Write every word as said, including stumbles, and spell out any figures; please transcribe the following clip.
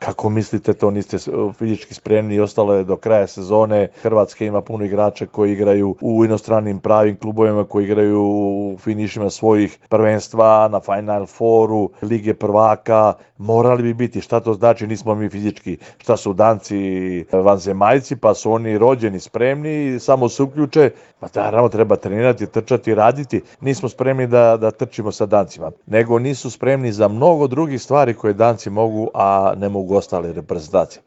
Kako mislite to, niste fizički spremni i ostalo je do kraja sezone. Hrvatska ima puno igrača koji igraju u inostranim pravim klubovima, koji igraju u finišima svojih prvenstva, na Final Fouru, Lige prvaka. Morali bi biti, šta to znači, nismo mi fizički, šta su Danci vanzemaljci, pa su oni rođeni spremni, samo se uključe, pa naravno treba trenirati, trčati, raditi. Nismo spremni da, da trčimo sa Dancima, nego nisu spremni za mnogo drugih stvari koje Danci mogu, a ne mogu ostale reprezentacije.